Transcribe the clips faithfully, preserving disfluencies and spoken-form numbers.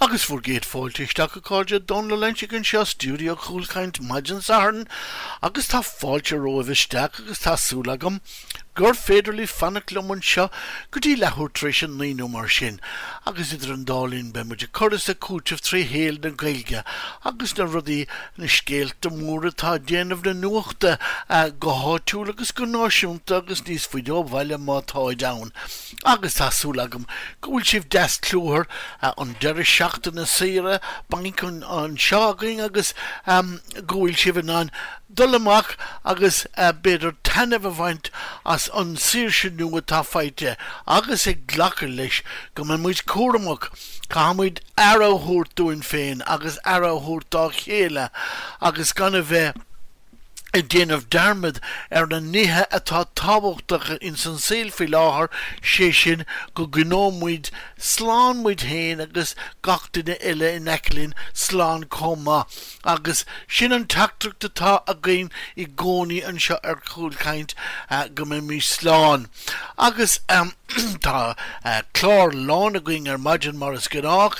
Agus bhur gcéad fáilte isteach a chairde Dónal Ó Loingsigh anseo stiúideo Chúlchaint maidin Sathairn agus tá fáilte romhaibh isteach agus tá súil agam gur féidir libh fanacht liom anseo go dtí leathuair tar éis a naoi nó mar sin agus idir an dá linn beidh muid ag cur is ag cúiteamh trí shaol na Gaeilge agus na rudaí na scéalta móra atá ag déanamh na nuachta go háitiúil agus go náisiúnta agus níos faide ó bhaile má táid ann. Agus tá súil agam go bhfuil sibh deas cluthar an deireadh seachtaine saoire bainc anseo againn agus go bhfuil sibh in ann dul amach agus b'fhéidir taitneamh a bhaint as an saoirse nua atá faighte agus ag glacadh leis go mbeidh muid cúramach. Caithfidh muid aire a thabhairt dúinn féin agus aire a thabhairt dá chéile agus gan a bheith ag déanamh dearmad ar na nithe atá tábhachtach ins an saol faoi láthair, sé sin go gcoinneoidh muid slán muid féin agus gach duine eile in aice linn slán chomh maith. Agus sin an teachtaireacht atá againn i gcónaí anseo ar Chúlchaint, go mbeimid slán. Agus tá clár lán againn ar maidin mar is gnách.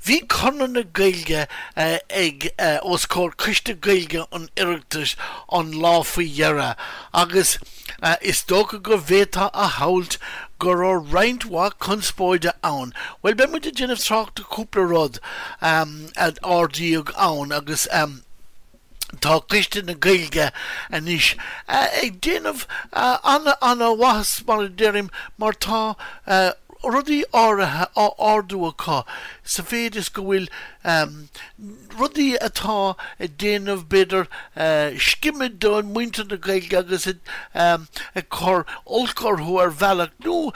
Bhí Conradh na Gaeilge ag os comhair Coiste Gaeilge an Oireachtais an lá faoi dheireadh agus is dócha go bhféadfá a shamhailt go raibh roinnt mhaith conspóide ann. Bhuel, beidh muid ag déanamh trácht ar chúpla rud a ardaíodh ann agus. Tá Coiste na Gaeilge anois ag déanamh an-mhaitheas, mar a deirim, mar tá rudaí áirithe á ardú acu sa mhéid is go bhfuil rudaí atá ag déanamh, b'fhéidir, scimeadh do mhuintir na Gaeilge agus ag cur olc orthu ar bhealach, nó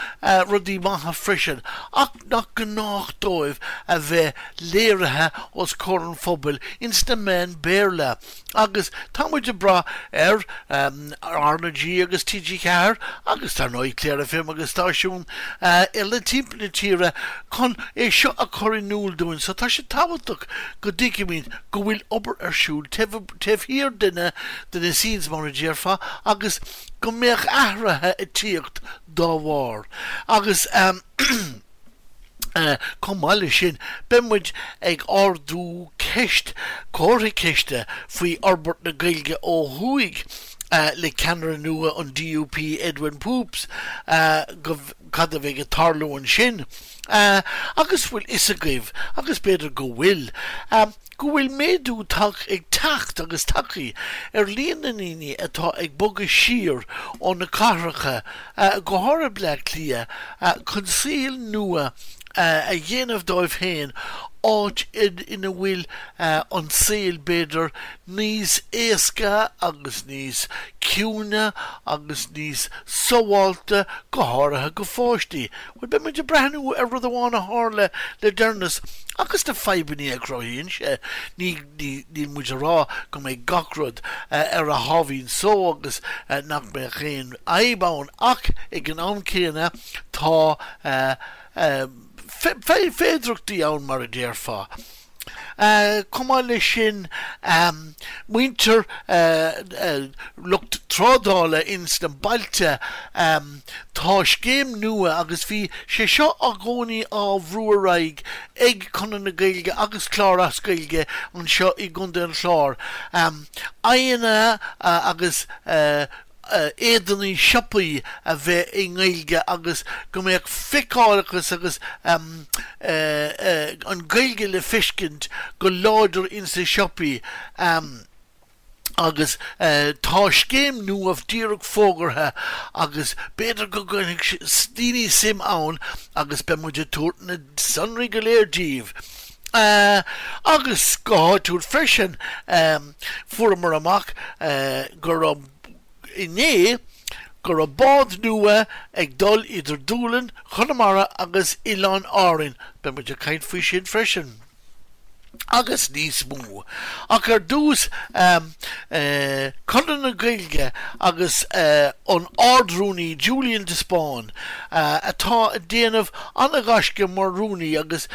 rudaí maithe freisin, ach nach gnách dóibh a bheith léirithe os comhair an phobail ins na meáin Béarla agus tá muid ag brath ar R na G agus T G ceathair agus dar ndóigh Clare F M agus stáisiúin eile timpeall na tíre chun é seo a chur in iúl dúinn so tá sé tábhachtach go dtuigfimid go bhfuil obair ar siúl taobh thiar de na de na scenes mar a déarfá agus go mbeadh athruithe ag tíocht dá bharr agus chomh maith leis sin beidh muid ag ardú ceist, comhartha ceiste faoi fhorbairt na Gaeilge ó thuaidh le ceannaire nua an D U P Edwin Poots, go cad a bheidh ag tarlú ansin agus bhfuil fhios agaibh, agus b'fhéidir go bhfuil, go bhfuil méadú ag teacht agus tagtha ar líon na ndaoine atá ag bogadh siar ó na cathracha, go háirithe Bleá Cliath, chun saol nua a dhéanamh dóibh féin, áit ina bhfuil an saol, b'fhéidir, níos éasca agus níos ciúine agus níos sábháilte, go háirithe go pháistí. Bhuel, beidh muid ag breathnú ar rud amháin a tharla le deireanas agus na fadhbanna a chruthaíonn sé. Ní, ní, níl muid a rá go mbeidh gach rud ar a sháimhín só agus nach mbeadh aon fhadhb ann ach ag an am céanna tá féidearthachtaí ann mar a déarfá. Chomh maith leis sin, muintir lucht trádála ins na bailte, tá scéim nua agus bhí sé seo i gcónaí á bhrú ar aghaidh ag Conradh na Gaeilge agus Clár as Gaeilge anseo i gContae an Chláir, aghaidheanna agus éadanaí siopaí a bheith i nGaeilge agus go mbeadh feiceálachas agus an Ghaeilge le feiscint go láidir ins na siopaí agus tá scéim nua díreach fógartha agus b'fhéidir go gcuirfidh daoine suim ann agus beidh muid ag tabhairt na sonraí go léir díbh. Agus go háitiúil freisin fuaireamar amach go raibh inné go raibh bád nua ag dul idir Dúlainn, Chonamara agus Oileáin Árainn. Beidh muid ag caint faoi sin freisin. Agus níos mó. Ach ar dtús, Conradh na Gaeilge agus an Ard-Rúnaí Julian de Spáinn atá ag déanamh an-ghaisce mar rúnaí agus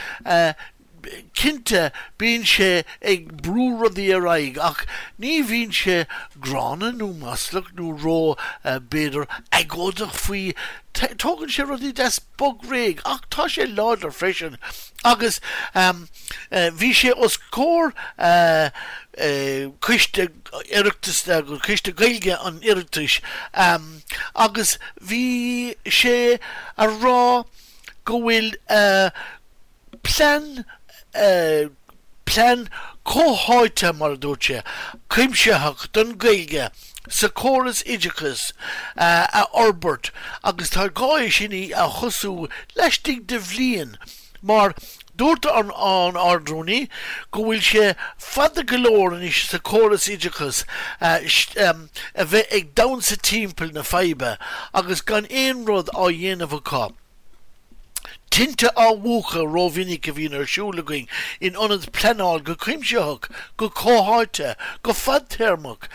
Cinnte bíonn sé ag brú rudaí ar aghaidh ach ní bhíonn sé gránna nó maslach nó ró b'fhéidir agóideach faoi. Tógann sé rudaí deas bog réidh ach tá sé láidir freisin agus bhí sé os comhair coiste Oireachtais coiste Gaeilge an Oireachtais agus bhí sé a rá go bhfuil plean plean comhtháite mar a dúirt sé, cuimsitheach don Ghaeilge sa chóras oideachais a fhorbairt agus tá gá é sin a thosú laistigh de bhliain mar dúirt an an Ard-Rúnaí go bhfuil sé fada go leor anois sa chóras oideachais a bheith ag damhsa timpeall na faidhbe agus gan aon rud á dhéanamh acu. Tinte á mhúchadh rómhinic a bhíonn ar siúl againn in ionad pleanáil go cuimsitheach, go comhtháite, go fadtéarmach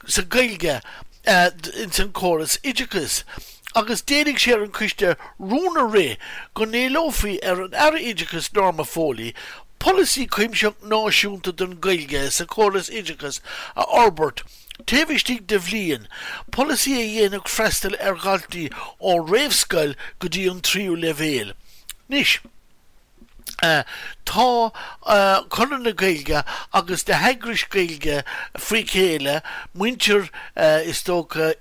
sa Ghaeilge ins an córas oideachais. Agus d'éiligh sé ar an coiste rún a rith go n-éileofaí ar an Aire Oideachais Norma Foley polasaí cuimsitheach náisiúnta don Ghaeilge sa chóras oideachais a fhorbairt taobh istigh de bhliain, polasaí a dhéanfadh freastal ar dhaltaí ó réamhscoil go dtí an tríú leibhéal. Anois, tá Conradh na Gaeilge agus na heagrais Gaeilge faoi chéile, muintir is dócha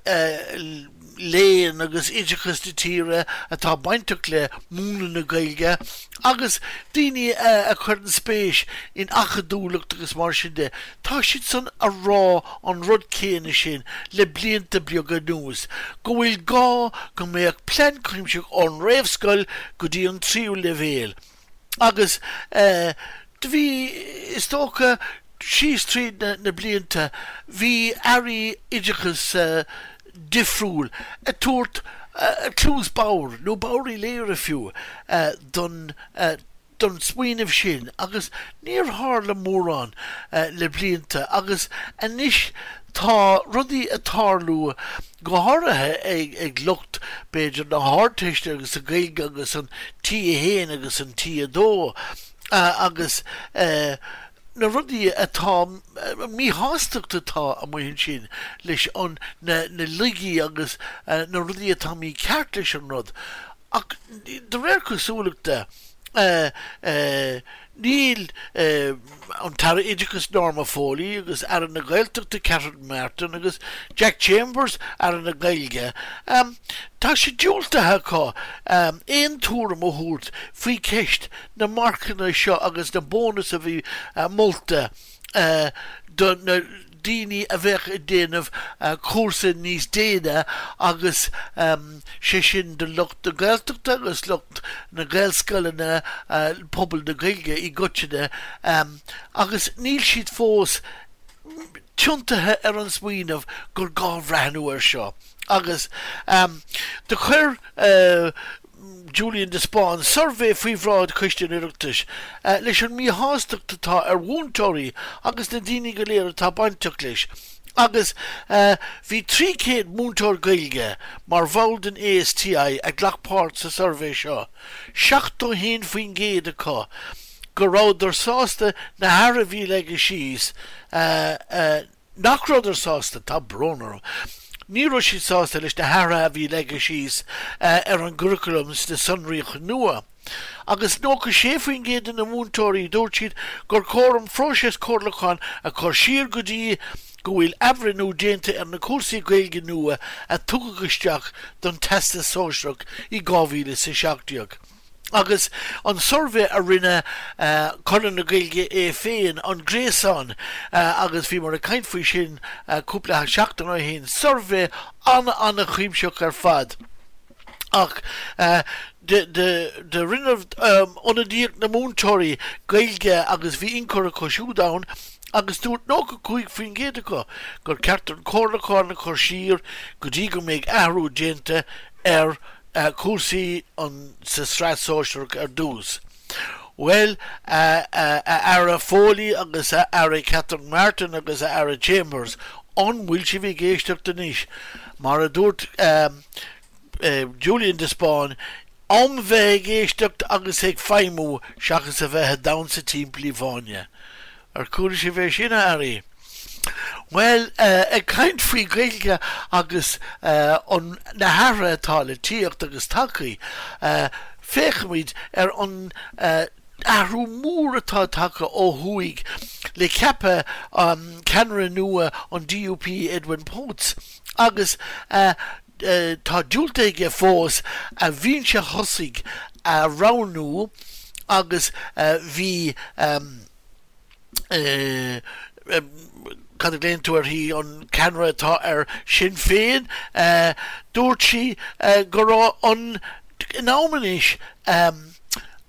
léann agus oideachas na tíre atá bainteach le múineadh na Gaeilge agus daoine a chuireann spéis in acadúlacht agus mar sin de, tá siad san a rá an rud céanna sin le blianta beaga anuas, go bhfuil gá go mbeadh plean cuimsitheach ón réamhscoil go dtí an tríú leibhéal. Agus do bhí, is dócha, síos tríd na blianta, bhí airí oideachais difriúil ag tabhairt cluas bodhar, nó bodhar Uí Laoghaire fiú, don don smaoineamh sin agus níor tharla mórán le blianta agus anois tá rudaí ag tarlú go háirithe ag ag lucht b'fhéidir na hArdteiste agus sa Ghaeilge agus an T a haon agus an T a dó agus na rudaí atá míshástacht atá amuigh ansin leis an na na laigí agus na rudaí atá mícheart leis an rud ach de réir cosúlachta níl an tAire Oideachais Norma Foley agus Aire na Gaeltachta Catherine Martin agus Jack Chambers Aire na Gaeilge tá sé diúltaithe acu aon tuairim a thabhairt faoi cheist na marcanna seo agus na bónas a bhí molta do na daoine a bheadh ag déanamh cúrsa níos déine agus sé sin do lucht na Gaeltachta agus lucht na Gaelscoileanna, pobal na Gaeilge i gcoitinne agus níl siad fós tiontaithe ar an smaoineamh gur gá breathnú air seo agus do chuir Julian de Spáinn suirbhé faoi bhráid Choiste an Oireachtais leis an míshástacht atá ar mhúinteoirí agus na daoine go léir atá bainteach leis agus bhí trí chéad múinteoir Gaeilge mar bhall den ASTI a ghlac páirt sa suirbhé seo, seachtó haon faoin gcéad acu go rabhadar sásta na hathruithe a bhí leagtha síos nach rabhadar sásta, tá brón orm, ní raibh siad sásta leis na hathruithe a bhí leagtha síos ar an gcuraclam sna sonraíochtaí nua. Agus nócha sé faoin gcéad de na múinteoirí, dúirt siad gur chóir an phróiseas comhairliúcháin a chur siar go dtí go bhfuil athbhreithniú déanta ar na cúrsaí Gaeilge nua a tugadh isteach don Teastas Sóisearach i dhá mhíle is a seacht déag. Agus an suirbhé a rinne Conradh na Gaeilge é féin, an gréasán, agus bhíomar ag caint faoi sin cúpla seachtain ó shin, suirbhé an-an-chuimsitheach ar fad. Ach do rinne ionadaíocht na múinteoirí Gaeilge agus bhí ionchur acu siúd ann agus dúirt nócha cúig faoin gcéad acu gur ceart an comhairliúchán a chur siar go dtí go mbeidh athrú déanta ar cúrsaí an sa tsraith sóisearach ar dtús. Bhuel, a Aire Foley agus a Aire Catherine Martin agus a Aire Chambers, an bhfuil sibh ag éisteacht anois? Mar a dúirt Julian de Spáinn, Am bheith ag éisteacht agus ag feidhmiú seachas a bheith ag damhsa timpeall i bhfáinne. Ar chuala sibh é sin a airí? Well, uh, ag caint faoi Gaeilge agus uh, an na hathruithe atá le tíocht agus tacaí, uh, féachaimid ar an uh, athrú mór atá tagtha ó thuaidh le ceapadh um, ceannaire nua an DUP Edwin Poots agus uh, uh, tá diúltaithe aige fós a bhinse thosaigh a roghnú agus uh, bhí um, uh, um, cad a ghlaonn tú uirthi an ceannaire atá ar Sinn Féin uh, dúirt sí uh, go raibh an in am anois um,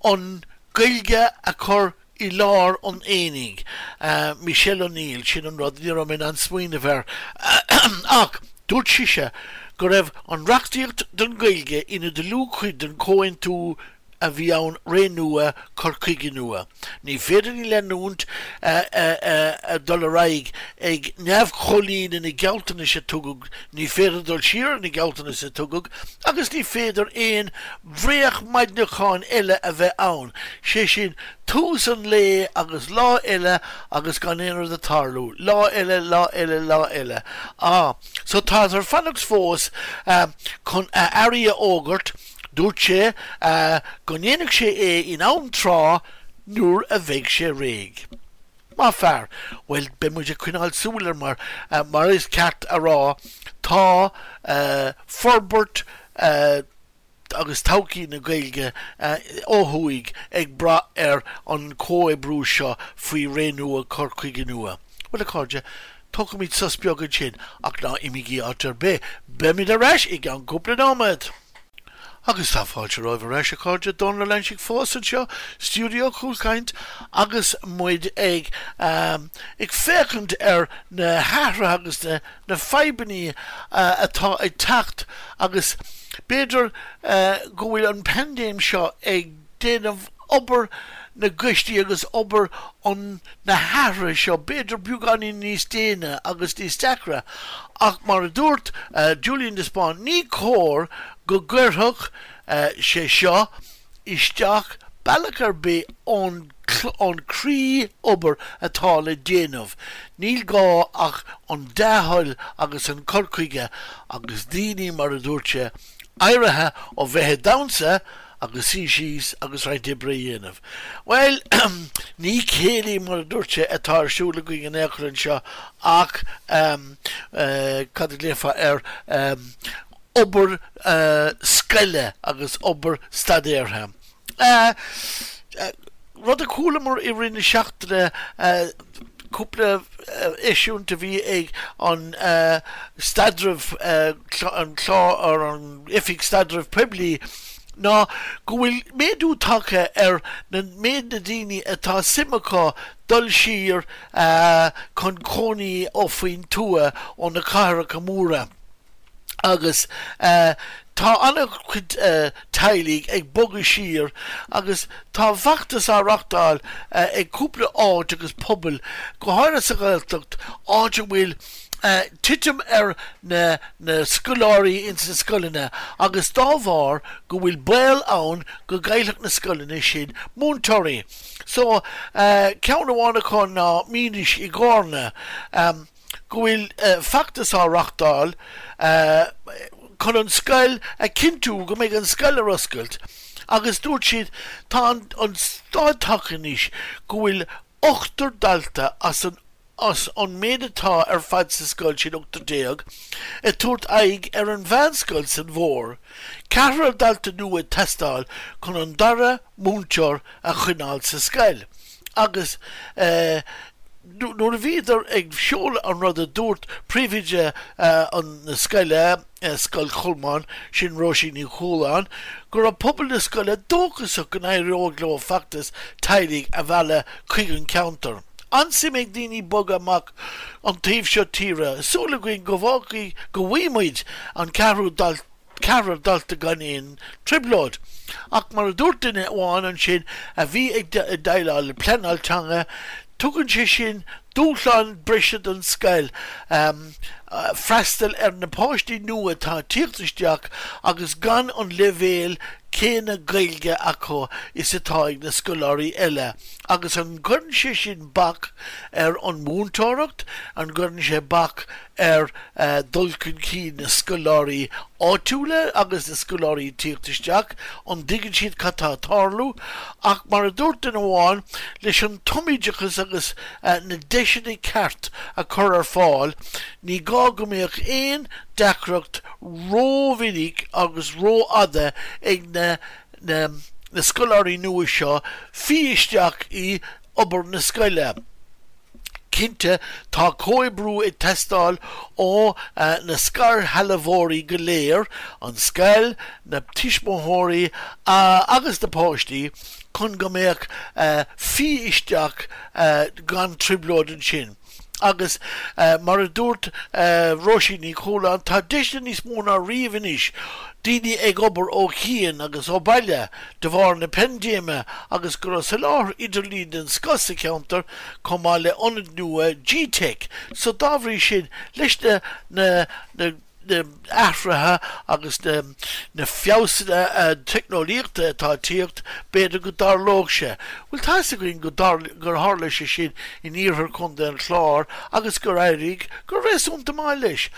an Gaeilge a chur i lár an aonaigh. Uh, Michelle O'Neill sin an rud ní raibh mé an smaoineamh air ach dúirt sise go raibh an reachtaíocht don Ghaeilge ina dlúthchuid den chomhaontú a bhí ann ré nua cur chuige nua. Ní féidir leanúint dul ar aghaidh ag neamhchomhlíonadh na gealltanais a tugadh, ní féidir dul siar na gealltanais a tugadh, agus ní féidir aon bhréagmhaidneachan eile a bheith ann. sé sin tús an lae agus lá eile agus gan aon rud ag tarlú, lá eile lá eile lá eile. Ah, so tá ar fanacht fós um, chun a airí a fhógairt, Dúirt sé uh, go ndéanfaidh sé é in am tráth nuair a bheidh sé réidh. Má fear, well beidh muid ag coinneáil súil air mar uh, mar is ceart a rá tá uh, forbairt uh, agus todhchaí na Gaeilge uh, ó thuaidh ag brath ar an comhoibriú seo faoi ré nua cur chuige nua. Well a chairde, tógfaimid sos beag ansin ach ná imígí áit ar bith, Beimid ar ais i gceann cúpla nóiméad. Agus tá fáilte romhaibh ar ais a chairde Dónal Ó Loingsigh fós anseo, Stiúideo Cúlchaint agus muid ag um, ag féachaint ar na hathruithe agus na, na fadhbanna uh, atá ag teacht agus b'fhéidir uh, go bhfuil an paindéim seo ag déanamh obair na gcoistí agus obair an na hathruithe seo b'fhéidir beagáinín níos déine agus níos deacra ach mar a dúirt uh, Julian de Spáinn ní cóir go gcuirfeadh uh, sé seo isteach bealach ar bith ón an croí-obair atá le déanamh. Níl gá ach an dea-thoil agus an cur chuige agus daoine mar a dúirt sé éirithe ó bheith ag damhsa agus suí síos agus roinnt oibre a dhéanamh. Well ní céilí mar a dúirt sé atá ar siúl againn in aon chor anseo ach um, uh, cad a ghlaofá air um, obair uh, scoile agus obair staidéartha. Uh, uh, rud a chualamar i rith na seachtaine uh, cúpla eisiúint a bhí ag an uh, staidreamh uh, an clár ar an oifig staidreamh poiblí ná go bhfuil méadú tagtha ar na méid na daoine atá suim acu dul siar uh, chun cónaí ó faoin tuath ó na cathracha móra. Agus uh, tá an-chuid uh, teaghlaigh ag bogadh siar agus tá feachtas á reáchtáil uh, ag cúpla áit agus pobal go háirithe sa Ghaeltacht áit a bhfuil uh, titim ar na, na scoláirí ins na scoileanna agus dá bharr go bhfuil baol ann go gcaillfeadh na scoileanna sin múinteoirí. So uh, ceann amháin acu ná Mínis i gCarna um, go bhfuil uh, feachtas á reáchtáil uh, chun an scoil a chinntiú go mbeidh an scoil ar oscailt, agus dúirt siad tá an, an staid tagtha anois go bhfuil ochtar dalta as an as an méid atá ar fad sa scoil sin ochtar déag, ag tabhairt aghaidh ar an mheánscoil san bhfómhar, ceathrar dalta nua ag teastáil chun an dara múinteoir a choinneáil sa scoil. Agus eh, nuair a bhíodar ag seoladh an rud a dúirt príomhoide uh, an na scoile uh, Scoil Cholmáin sin Róisín Ní Chualáin, go raibh pobal na scoile dóchasach go n-éireodh leo feachtas teaghlaigh a mhealladh chuig an ceantar. An-suim ag daoine bogadh amach an taobh seo tíre, súil againn go bhfágfaidh go bhfaighimid an ceathrú dal ceathrar dalta gan aon trioblóid. Ach mar a dúirt duine amháin ansin a bhí ag déileáil le pleanáil teanga, tugann sé sin dúshlán breise don scoil um, uh, freastal ar na páistí nua atá ag tíocht isteach agus gan an leibhéal céanna Gaeilge acu is atá ag na scoláirí eile agus an gcuireann sé sin bac ar an múinteoireacht, an gcuireann sé bac ar uh, dul chun cinn na scoláirí áitiúla agus na scoláirí tíocht isteach, an dtuigeann siad cad tá ag tarlú, ach mar a dúirt duine amháin leis an tumoideachas agus uh, na deiseanna ceart a chur ar fáil, ní gá go mbeadh aon deacracht rómhinic agus rófhada ag na, na, na scoláirí nua seo fí isteach i obair na scoile. Cinnte tá comhoibriú ag teastáil ó uh, na scairshealbhóirí go léir, an scoil, na tuismitheoirí uh, agus na páistí chun go mbeadh uh, fí isteach uh, gan trioblóid ansin. Agus uh, mar a dúirt uh, Róisín Ní Chualáin tá deiseanna níos mó ná riamh anois daoine ag obair ó chian agus ó bhaile de bharr na paindéime agus go raibh soláthar idirlín den scoth sa cheantar chomh maith le ionad nua G-Tech, so dá bhrí sin leis na na na na athruithe agus na, na feabhsanna uh, teicneolaíochta atá ag tíocht b'fhéidir go dtarlódh sé. Well tá againn go gur tharla sé sin in iarthar Chontae an Chláir agus gur éirigh go réasúnta maith leis.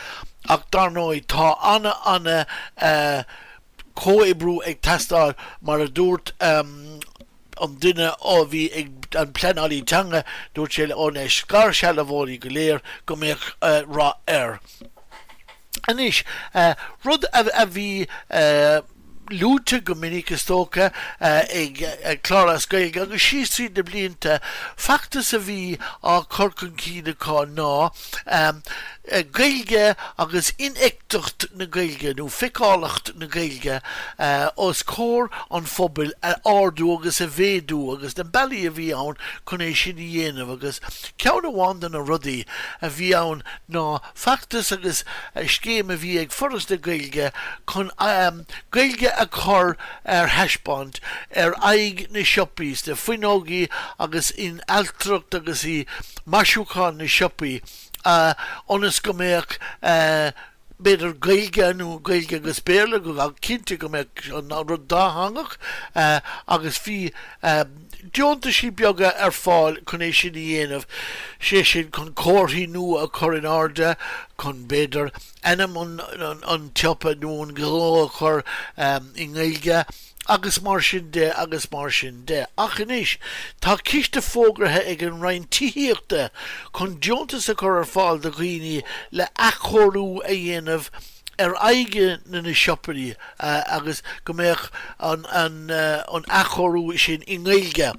Ach dar ndóigh tá ana ana uh, comhoibriú ag teastáil mar a dúirt um, an duine a bhí ag an pleanálaí teanga dúirt sé ó na scairshealbhóirí go léir go mbeadh uh, rath air. Anois uh, rud a, a bhí uh, luaite go minic is dócha uh, ag, ag Clár as Gaeilge agus síos tríd na blianta feachtas a bhí á chur chun cinn acu ná um, Gaeilge agus infheictheacht na Gaeilge nó feiceálacht na Gaeilge uh, os comhair an phobail a ardú agus a mhéadú agus na bealaí a bhí ann chun é sin a dhéanamh agus ceann amháin de na rudaí a bhí ann ná feachtas agus scéim a bhí ag Foras na Gaeilge chun um, Gaeilge a chur ar thaispeáint ar aghaidh na siopaí, na fuinneogaí agus in ailtireacht agus i maisiúchán na siopaí uh, ionas go mbeadh uh, b'fhéidir Gaeilge nó Gaeilge agus Béarla go go cinnte go mbeadh an rud dátheangach uh, agus bhí uh, deontaisí beaga ar fáil chun é sin a dhéanamh sé sin chun comharthaí nua a chur in airde chun b'fhéidir ainm an, an, an tsiopa nó an gnó a chur um, i nGaeilge agus mar sin de agus mar sin de. Ach anois tá ciste fógartha ag an Roinn Tithíochta chun deontas a chur ar fáil do dhaoine le athchóiriú a dhéanamh ar aghaidh na na siopaí uh, agus go mbeadh an, an, uh, an athchóiriú sin i nGaeilge.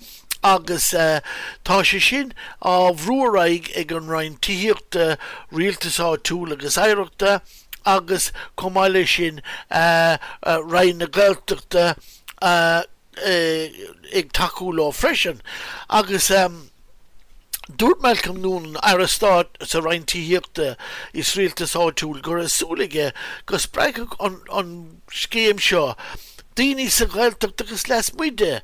Agus uh, tá sé sin á bhrú ar aghaidh ag an Roinn Tithíochta Rialtais Áitiúil agus Oidhreachta agus chomh maith leis sin uh, uh, Roinn na Gaeltachta uh, uh, ag tacú leo freisin. Agus um, Dúirt Malcolm Noonan Aire Stáit sa Roinn Tithíochta is Rialtais Áitiúil go raibh súil aige go spreagfadh an, an scéim seo daoine sa Ghaeltacht agus lasmuigh di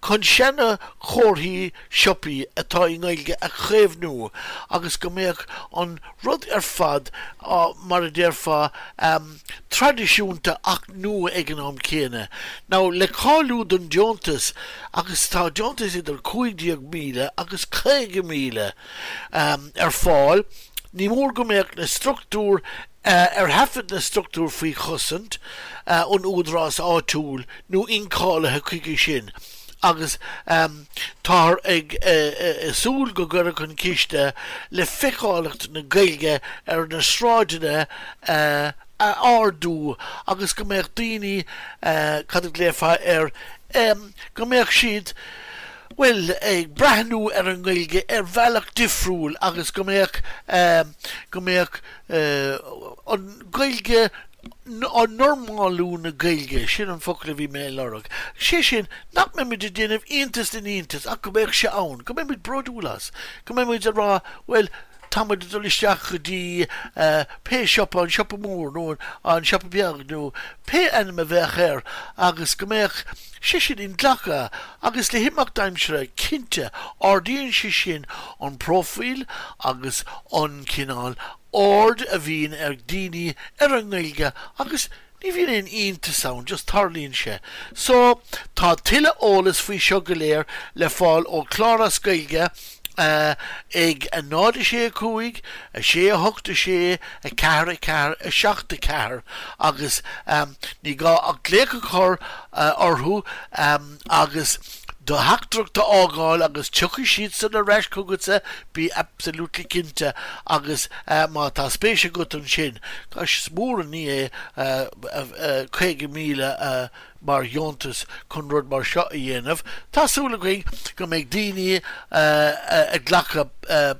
chun seana chomharthaí siopaí atá i nGaeilge a chaomhnú agus go mbeadh an rud ar fad uh, mar a déarfá um, traidisiúnta ach nua ag an am céanna. Now le cáiliú don deontas agus tá deontas idir cúig déag míle agus caoga míle um, ar fáil, ní mór go mbeadh na struchtúr uh, ar thaifead na struchtúr faoi chosaint uh, an údarás áitiúil nó incháilithe chuige sin. Agus um, tá ag uh, uh, súil go gcuirfidh an ciste le feiceálacht na Gaeilge ar na sráideanna uh, a ardú agus go mbeadh daoine uh, cad a ghlaofá ar um, go mbeadh siad well ag breathnú ar an nGaeilge ar bhealach difriúil agus go mbeadh um, go mbeadh uh, an Ghaeilge an normalú na Gaeilge sin an focal a bhí mé lorg. Sé sin nach mbeimid ag déanamh iontas den iontas ach go mbeadh sé ann, go mbeimid bródúil as, go mbeimid ag rá well táimid dul isteach go dtí uh, pé siopa an siopa mór nó an siopa beag nó pé ainm a bheadh air agus go mbeadh sé sin inghlactha agus le himeacht aimsire cinnte ardaíonn sé sin an profil agus an cineál aird a bhíonn ag daoine ar an nGaeilge agus Ní bhíonn aon iontas ann, just tarlaíonn sé. So tá tuilleadh eolas faoi seo go léir le fáil ó Clár as Gaeilge ag a náid a sé a cúig, a sé a hocht a sé, a ceathair a ceathair, a seacht a ceathair agus ní gá ach glaoch a chur orthu agus do theachtaireacht a fhágáil agus tiocfaidh siadsan ar ais chugatsa, bí absolutely cinnte agus má tá spéis agat ansin, gosh is mór an ní é caoga míle mar dheontas chun rud mar seo a dhéanamh. Tá súil againn go mbeidh daoine ag glacadh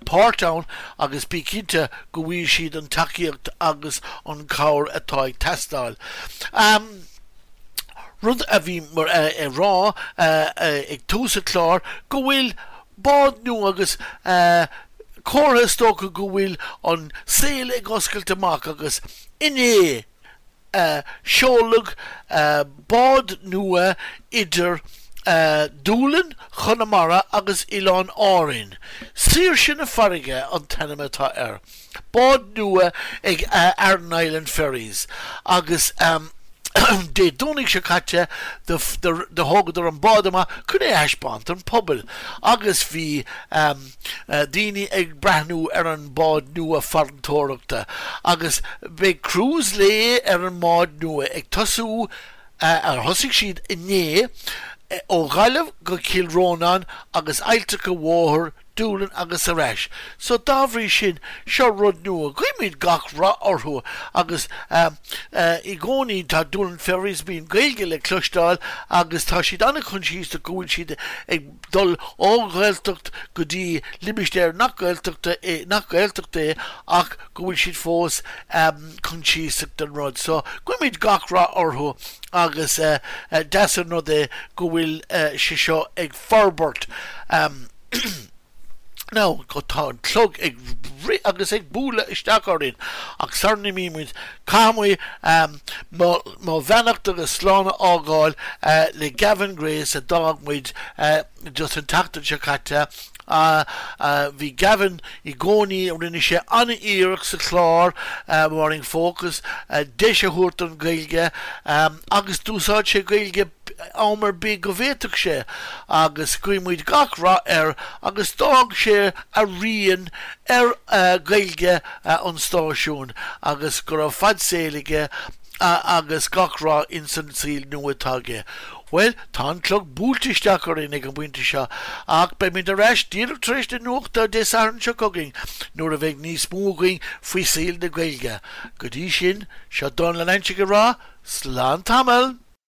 páirt ann agus bí cinnte go bhfaighidh siad an tacaíocht agus an cabhair atá ag teastáil. Rud a bhí ag rá ag tús an chláir go bhfuil bád nua agus comhartha is dócha go bhfuil an saol ag oscailt amach agus inné seoladh bád nua idir Dúlainn Chonamara agus Oileáin Árainn. Saoirse na Farraige an t-ainm atá air. Bád nua ag Aran Island Ferries agus Dé Domhnaigh seo caite do thógadar an bád amach chun é a thaispeáint don phobal agus bhí daoine ag breathnú ar an bád nua farantóireachta agus beidh cruise lae ar an mbád nua ag tosú ar thosaigh siad inné ó Ghaillimh go Cill Rónáin agus Ailltreacha Mhóthair Dúlainn agus ar ais. So dá bhrí sin, seo rud nua. Guímid gach rath orthu agus i gcónaí tá Doolin Ferries, bíonn Gaeilge le cloisteáil agus tá siad an-choinsiasach go bhfuil siad ag dul ó Ghaeltacht go dtí limistéar nach Gaeltachta é, nach Gaeltacht é ach go bhfuil siad fós coinsiasach den rud. So guímid gach rath orthu agus deas an rud é go bhfuil sé seo ag forbairt. Now, tá an clog ag rith agus ag bualadh isteach orainn, ach sara n-imímid, caithfidh muid mo bheannacht agus slán a fhágáil le Gavin Grace a d'fhág muid just an tseachtain seo caite. Bhí Gavin i gcónaí, rinne sé an-iarracht sa chlár Morning Focus deis a thabhairt don Ghaeilge agus d'úsáid sé Gaeilge am ar bith go bhféadfadh sé agus guímid gach rath air agus d'fhág sé a rian ar Ghaeilge an stáisiúin agus go raibh fad saoil aige agus gach rath ins an saol nua atá aige. Bhuel, tá an clog buailte isteach orainn ag an bpointe seo ach beimid ar ais díreach tar éis na nuachta Dé Sathairn seo chugainn nuair a bheidh níos mó againn faoi saol na Gaeilge. Go dtí sin, seo Dónal Loinsigh ag rá, slán tamall!